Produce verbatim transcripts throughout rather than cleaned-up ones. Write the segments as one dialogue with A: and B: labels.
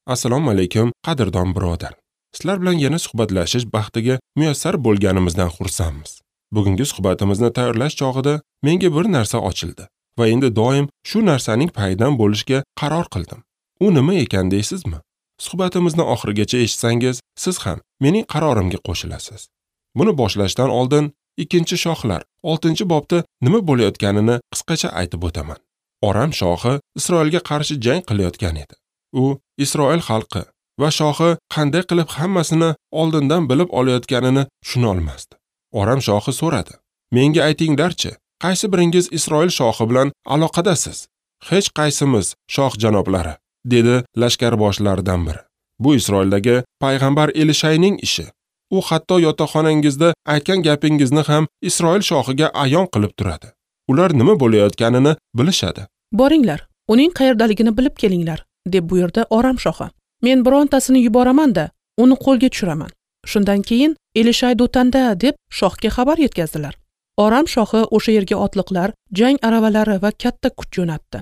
A: Assalomu alaykum, qadrdon birodar. Sizlar bilan yana suhbatlashish baxtiga muyassar bo'lganimizdan xursandmiz. Bugungi suhbatimizni tayyorlash chog'ida menga bir narsa ochildi va endi doim shu narsaning payidan bo'lishga qaror qildim. U nima ekan deysizmi? Suhbatimizni oxirigacha eshitsangiz, siz ham mening qarorimga qo'shilasiz. Buni boshlashdan oldin ikkinchi shohlar oltinchi bobda nima bo'layotganini qisqacha aytib o'taman. Oram shohi Isroilga qarshi jang qilayotgan edi. U Isroil xalqi va shohi qanday qilib hammasini oldindan bilib olayotganini tushuna olmasdi. Oram shohi so'radi: "Menga aytinglarchi, qaysi biringiz Isroil shohi bilan aloqadasiz?" "Hech qaysimiz, shoh janoblari", dedi lashkarboshlaridan biri. "Bu Isroildagi payg'ambar Elishayning ishi. U hatto yotoqxonangizda aytgan gapingizni ham Isroil shohiga ayon qilib turadi. Ular nima bo'layotganini bilishadi."
B: "Boringlar, uning qayerdaligini bilib kelinglar", deb buyurdi Oram shohi. "Men birontasini yuboraman-da, uni qo'lga tushiraman." Shundan keyin Elishay Do'tanda deb shohga xabar yetkazdilar. Oram shohi o'sha yerga otliqlar, jang aravalari va katta kuch jo'natdi.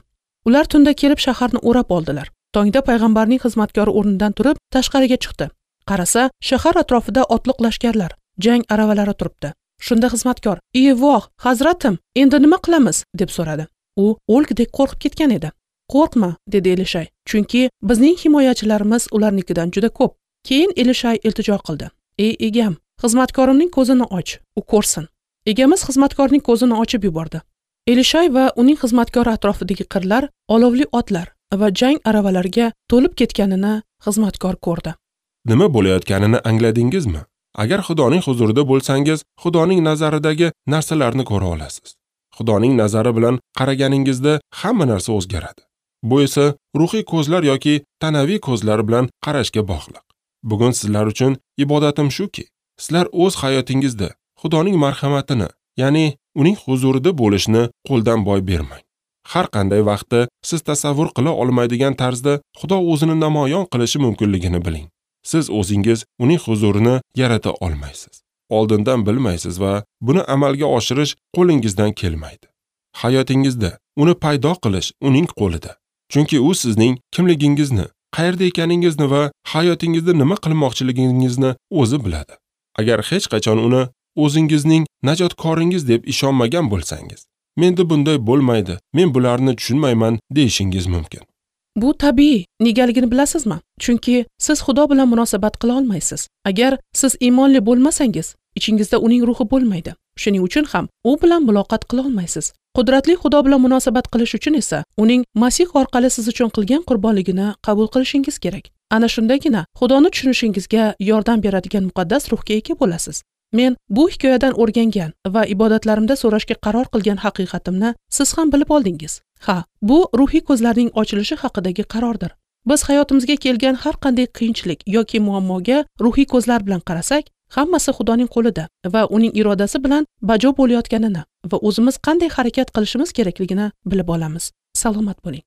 B: Ular tunda kelib shaharni o'rab oldilar. Tongda payg'ambarning xizmatkori o'rnidan turib tashqariga chiqdi. Qarasa, shahar atrofida otliq lashkarlar, jang aravalari turibdi. Shunda xizmatkor: "Ey voh, hazratim, endi nima qilamiz?" deb so'radi. U o'lgudek qo'rqib ketgan edi. "Qo'rqma", dedi Elishay, "chunki bizning himoyachilarimiz ularnikidan juda ko'p." Keyin Elishay iltijo qildi: "Ey egam, xizmatkorimning ko'zini och, u ko'rsin." Egamiz xizmatkorning ko'zini ochib yubordi. Elishay va uning xizmatkori atrofidagi qirlar olovli otlar va jang aravalariga to'lib ketganini xizmatkor ko'rdi.
A: Nima bo'layotganini angladingizmi? Agar Xudoning huzurida bo'lsangiz, Xudoning nazaridagi narsalarni ko'ra olasiz. Xudoning nazari bilan qaraganingizda hamma narsa o'zgaradi. Bu esa ruhiy ko'zlar yoki tanaviy ko'zlar bilan qarashga bog'liq. Bugun sizlar uchun ibodatim shuki, sizlar o'z hayotingizda Xudoning marhamatini, ya'ni uning huzurida bo'lishni qo'ldan boy bermang. Har qanday vaqtda siz tasavvur qila olmaydigan tarzda Xudo o'zini namoyon qilishi mumkinligini biling. Siz o'zingiz uning huzurini yarata olmaysiz. Oldindan bilmaysiz va buni amalga oshirish qo'lingizdan kelmaydi. Hayotingizda uni paydo qilish uning qo'lida. Chunki u sizning kimligingizni, qayerda ekaningizni va hayotingizda nima qilmoqchiligingizni o'zi biladi. Agar hech qachon uni o'zingizning najotkoringiz deb ishonmagan bo'lsangiz, menda bunday bo'lmaydi, men bularni tushunmayman deyishingiz mumkin.
B: Bu tabiiy, negaligini bilasizmi? Chunki siz Xudo bilan munosabat qila olmaysiz. Agar siz iymonli bo'lmasangiz, ichingizda uning ruhi bo'lmaydi. Shuning uchun ham u bilan muloqot qila olmaysiz. Qudratli Xudo bilan munosabat qilish uchun esa uning Masih orqali siz uchun qilgan qurbonligini qabul qilishingiz kerak. Ana shundagina Xudoni tushunishingizga yordam beradigan muqaddas ruhga ega bo'lasiz. Men bu hikoyadan o'rgangan va ibodatlarimda so'rashga qaror qilgan haqiqatimni siz ham bilib oldingiz. Ha, bu ruhiy ko'zlarning ochilishi haqidagi qarordir. Biz hayotimizga kelgan har qanday qiyinchilik yoki muammoga ruhiy ko'zlar bilan qarasak, hammasi Xudoning qo'lida va uning irodasi bilan bajo bo'layotganini va o'zimiz qanday harakat qilishimiz kerakligini bilib olamiz. Salomat bo'ling.